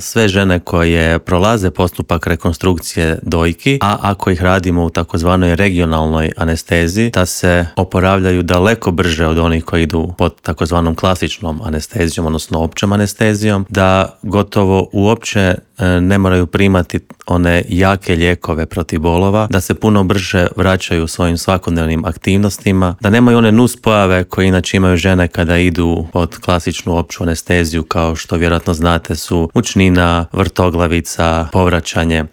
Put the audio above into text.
sve žene koje prolaze postupak rekonstrukcije dojki, a ako ih radimo u takozvanoj regionalnoj anesteziji, da se oporavljaju daleko brže od onih koji idu pod takozvanom klasičnom anestezijom, odnosno općom anestezijom, da gotovo uopće ne moraju primati one jake lijekove protiv bolova, da se puno brže vraćaju svojim svakodnevnim aktivnostima, da nemaju one nuspojave koje inače imaju žene kada idu pod klasičnu opću anesteziju, kao što vjerojatno znate su mučnina, vrtoglavica, povraćanje.